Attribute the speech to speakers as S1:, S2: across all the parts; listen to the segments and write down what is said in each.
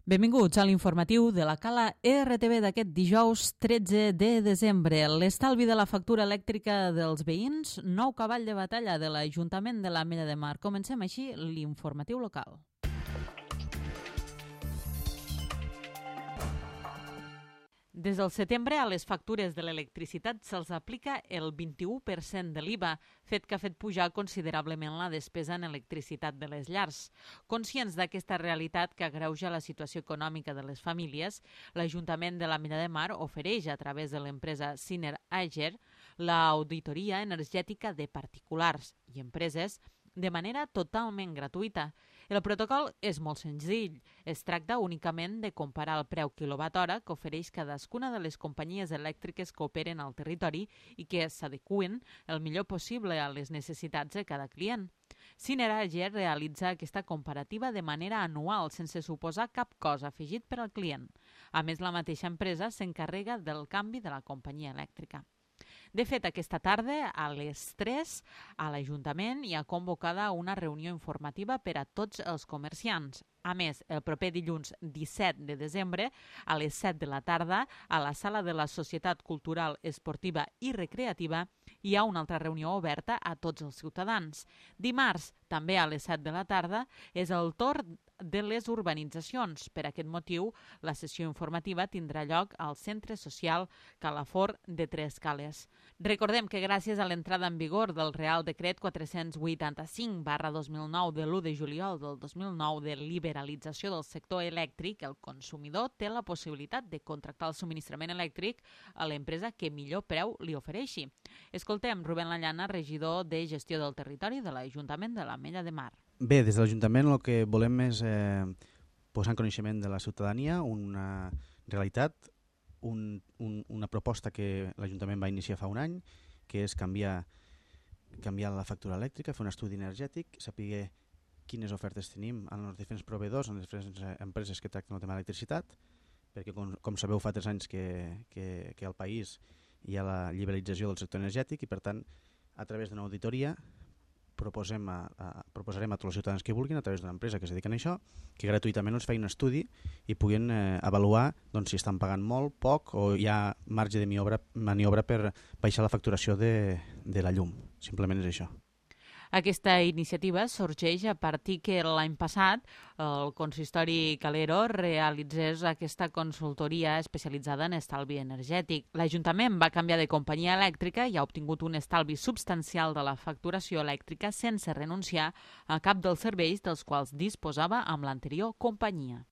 S1: Benvinguts a l'informatiu de la Cala RTV d'aquest dijous 13 de desembre. L'estalvi de la factura elèctrica dels veïns, nou cavall de batalla de l'Ajuntament de l'Ametlla de Mar. Comencem així l'informatiu local. Des del setembre a les factures de l'electricitat se'ls aplica el 21% de l'IVA, fet que ha fet pujar considerablement la despesa en electricitat de les llars. Conscients d'aquesta realitat que agreuja la situació econòmica de les famílies, l'Ajuntament de l'Ametlla de Mar ofereix a través de l'empresa Siner Ager l'auditoria energètica de particulars i empreses de manera totalment gratuïta. El protocol és molt senzill. Es tracta únicament de comparar el preu quilowatt-hora que ofereix cadascuna de les companyies elèctriques que operen al territori i que s'adeqüen el millor possible a les necessitats de cada client. Siner Ager realitza aquesta comparativa de manera anual, sense suposar cap cost afegit per al client. A més, la mateixa empresa s'encarrega del canvi de la companyia elèctrica. De fet, aquesta tarda, a les 3, a l'Ajuntament hi ha convocada una reunió informativa per a tots els comerciants. A més, el proper dilluns 17 de desembre, a les 7 de la tarda, a la sala de la Societat Cultural, Esportiva i Recreativa, hi ha una altra reunió oberta a tots els ciutadans. Dimarts, també a les 7 de la tarda, és el torn de les urbanitzacions. Per aquest motiu, la sessió informativa tindrà lloc al Centre Social Calafort de Tres Cales. Recordem que gràcies a l'entrada en vigor del Real Decret 485/2009 de l'1 de juliol del 2009 de liberalització del sector elèctric, el consumidor té la possibilitat de contractar el subministrament elèctric a l'empresa que millor preu li ofereixi. Escoltem Rubén Lallana, regidor de Gestió del Territori de l'Ajuntament de l'Ametlla de Mar.
S2: Bé, des de l'Ajuntament el que volem és posar en coneixement de la ciutadania una realitat, una proposta que l'Ajuntament va iniciar fa un any, que és canviar la factura elèctrica, fer un estudi energètic, saber quines ofertes tenim en els diferents proveïdors, en les diferents empreses que tracten el tema de l'electricitat, perquè com sabeu fa 3 anys que al país hi ha la liberalització del sector energètic i per tant a través d'una auditoria proposarem a tots els ciutadans que vulguin a través d'una empresa que es dedica a això, que gratuïtament els faci un estudi i puguin avaluar si estan pagant molt, poc o hi ha marge de maniobra per baixar la facturació de la llum. Simplement és això.
S1: Aquesta iniciativa sorgeix a partir que l'any passat el consistori Calero realitzés aquesta consultoria especialitzada en estalvi energètic. L'Ajuntament va canviar de companyia elèctrica i ha obtingut un estalvi substancial de la facturació elèctrica sense renunciar a cap dels serveis dels quals disposava amb l'anterior companyia.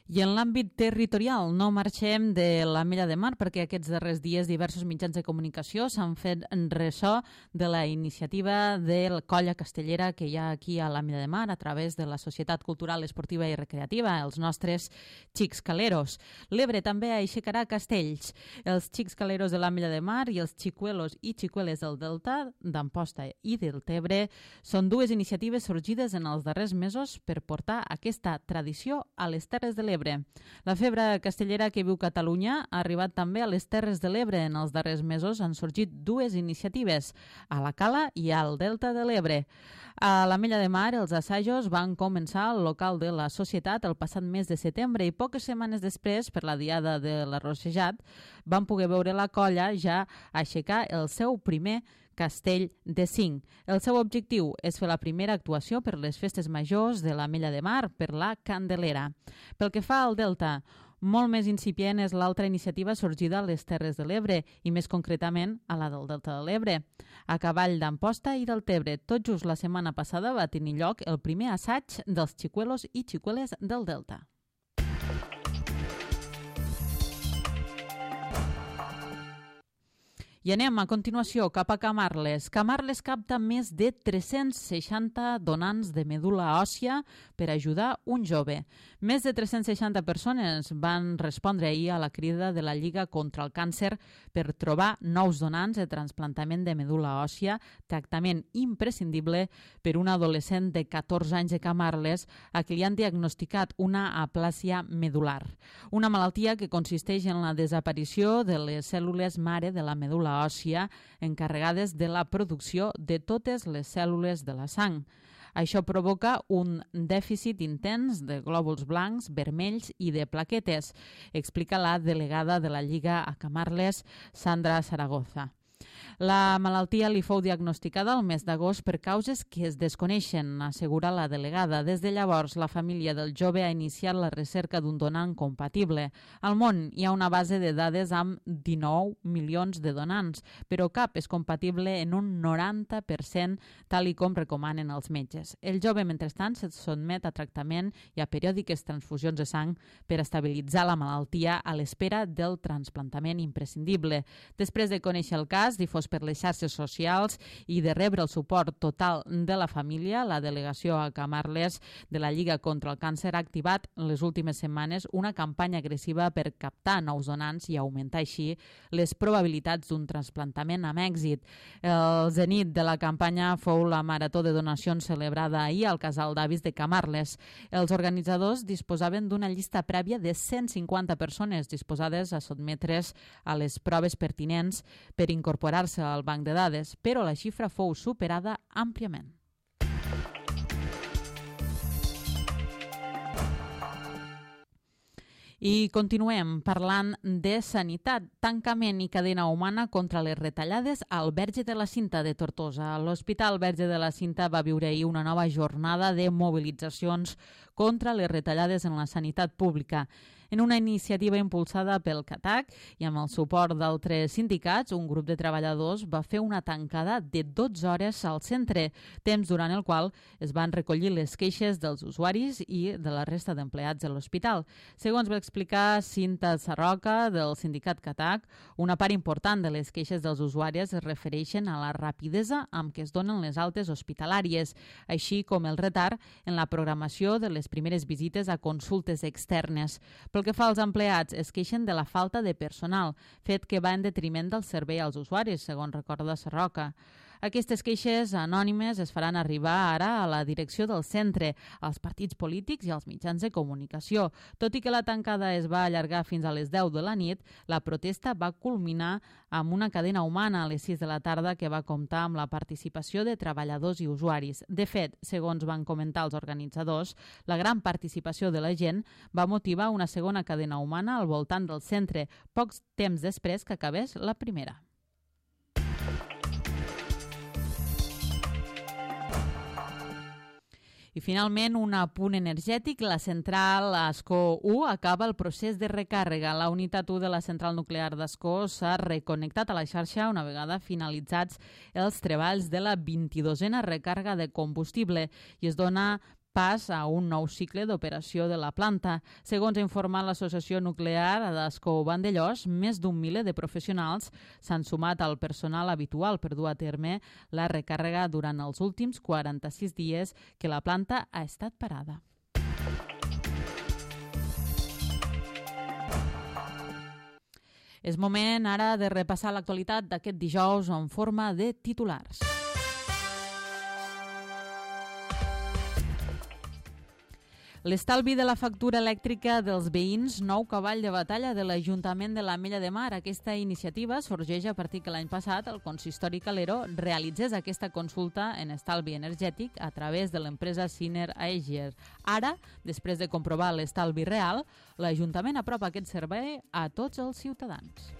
S1: I en l'àmbit territorial no marxem de l'Ametlla de Mar perquè aquests darrers dies diversos mitjans de comunicació s'han fet ressò de la iniciativa de la colla castellera que hi ha aquí a l'Ametlla de Mar a través de la Societat Cultural, Esportiva i Recreativa, els nostres Xics Caleros. L'Ebre també aixecarà castells. Els Xics Caleros de l'Ametlla de Mar i els xicuelos i xicueles del Delta, d'Amposta i del Tebre són dues iniciatives sorgides en els darrers mesos per portar aquesta tradició a les Terres de l'Ebre. La febre castellera que viu Catalunya ha arribat també a les Terres de l'Ebre. En els darrers mesos han sorgit dues iniciatives, a la Cala i al Delta de l'Ebre. A l'Ametlla de Mar els assajos van començar al local de la societat el passat mes de setembre i poques setmanes després, per la diada de l'Arrossejat, van poder veure la colla ja aixecar el seu primer castell de 5. El seu objectiu és fer la primera actuació per les festes majors de l'Ametlla de Mar, per la Candelera. Pel que fa al Delta, molt més incipient és l'altra iniciativa sorgida a les Terres de l'Ebre i més concretament a la del Delta de l'Ebre. A cavall d'Amposta i del Tebre, tot just la setmana passada va tenir lloc el primer assaig dels xicuelos i xicueles del Delta. I anem a continuació cap a Camarles. Camarles capta més de 360 donants de medul·la òssia per ajudar un jove. Més de 360 persones van respondre ahir a la crida de la Lliga contra el Càncer per trobar nous donants de trasplantament de medul·la òssia, tractament imprescindible per un adolescent de 14 anys de Camarles a qui li han diagnosticat una aplàsia medular, una malaltia que consisteix en la desaparició de les cèl·lules mare de la medul·la medul·la òssia encarregades de la producció de totes les cèl·lules de la sang. Això provoca un dèficit intens de glòbuls blancs, vermells i de plaquetes, explica la delegada de la Lliga a Camarles, Sandra Zaragoza. La malaltia li fou diagnosticada el mes d'agost per causes que es desconeixen, assegura la delegada. Des de llavors, la família del jove ha iniciat la recerca d'un donant compatible. Al món hi ha una base de dades amb 19 milions de donants, però cap és compatible en un 90%, tal i com recomanen els metges. El jove, mentrestant, se sotmet a tractament i a periòdiques transfusions de sang per estabilitzar la malaltia a l'espera del trasplantament imprescindible. Després de conèixer el cas, difós per les xarxes socials i de rebre el suport total de la família, la delegació a Camarles de la Lliga contra el Càncer ha activat les últimes setmanes una campanya agressiva per captar nous donants i augmentar així les probabilitats d'un trasplantament amb èxit. El zenit de la campanya fou la marató de donacions celebrada ahir al casal d'avis de Camarles. Els organitzadors disposaven d'una llista prèvia de 150 persones disposades a sotmetre's a les proves pertinents per incorporar-se al banc de dades, però la xifra fou superada àmpliament. I continuem parlant de sanitat, tancament i cadena humana contra les retallades al Verge de la Cinta de Tortosa. L'Hospital Verge de la Cinta va viure ahir una nova jornada de mobilitzacions contra les retallades en la sanitat pública. En una iniciativa impulsada pel CATAC i amb el suport d'altres sindicats, un grup de treballadors va fer una tancada de 12 hores al centre, temps durant el qual es van recollir les queixes dels usuaris i de la resta d'empleats de l'hospital. Segons va explicar Cinta Sarroca, del sindicat CATAC, una part important de les queixes dels usuaris es refereixen a la rapidesa amb què es donen les altes hospitalàries, així com el retard en la programació de les primeres visites a consultes externes. Pel que fa als empleats, es queixen de la falta de personal, fet que va en detriment del servei als usuaris, segons recorda Sarroca. Aquestes queixes anònimes es faran arribar ara a la direcció del centre, als partits polítics i als mitjans de comunicació. Tot i que la tancada es va allargar fins a les 10 de la nit, la protesta va culminar amb una cadena humana a les 6 de la tarda que va comptar amb la participació de treballadors i usuaris. De fet, segons van comentar els organitzadors, la gran participació de la gent va motivar una segona cadena humana al voltant del centre, pocs temps després que acabés la primera. I finalment, un apunt energètic. La central Ascó 1 acaba el procés de recàrrega. La unitat 1 de la central nuclear d'Ascó s'ha reconnectat a la xarxa una vegada finalitzats els treballs de la 22a recàrrega de combustible i es dona pas a un nou cicle d'operació de la planta. Segons ha informat l'Associació Nuclear d'Ascó Vandellòs, més d'un miler de professionals s'han sumat al personal habitual per dur a terme la recàrrega durant els últims 46 dies que la planta ha estat parada. És moment ara de repassar l'actualitat d'aquest dijous en forma de titulars. L'estalvi de la factura elèctrica dels veïns, nou cavall de batalla de l'Ajuntament de l'Ametlla de Mar. Aquesta iniciativa sorgeix a partir que l'any passat el consistori Calero realitzés aquesta consulta en estalvi energètic a través de l'empresa Siner Aegier. Ara, després de comprovar l'estalvi real, l'Ajuntament apropa aquest servei a tots els ciutadans.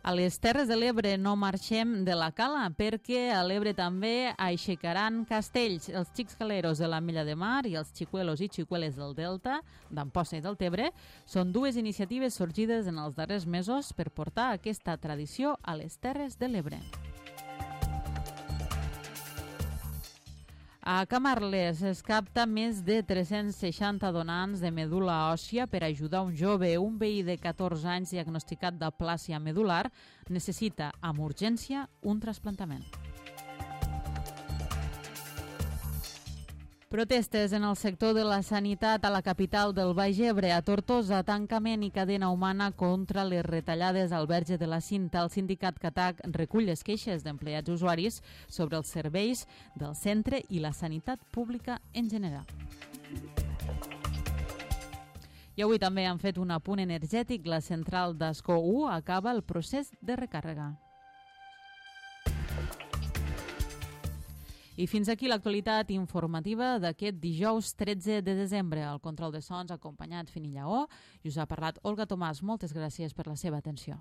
S1: A les Terres de l'Ebre no marxem de la cala perquè a l'Ebre també aixecaran castells. Els xics caleros de l'Ametlla de Mar i els xicuelos i xicueles del Delta, d'Amposta i del Tebre, són dues iniciatives sorgides en els darrers mesos per portar aquesta tradició a les Terres de l'Ebre. A Camarles es capta més de 360 donants de medul·la òssia per ajudar un jove. Un veí de 14 anys diagnosticat d'aplàsia medul·lar necessita amb urgència un trasplantament. Protestes en el sector de la sanitat a la capital del Baix Ebre. A Tortosa, tancament i cadena humana contra les retallades al Verge de la Cinta. El sindicat CATAC recull les queixes d'empleats usuaris sobre els serveis del centre i la sanitat pública en general. I avui també han fet un apunt energètic. La central d'Ascó 1 acaba el procés de recàrrega. I fins aquí l'actualitat informativa d'aquest dijous 13 de desembre. Al control de sons acompanyat Fini Lleó i us ha parlat Olga Tomàs. Moltes gràcies per la seva atenció.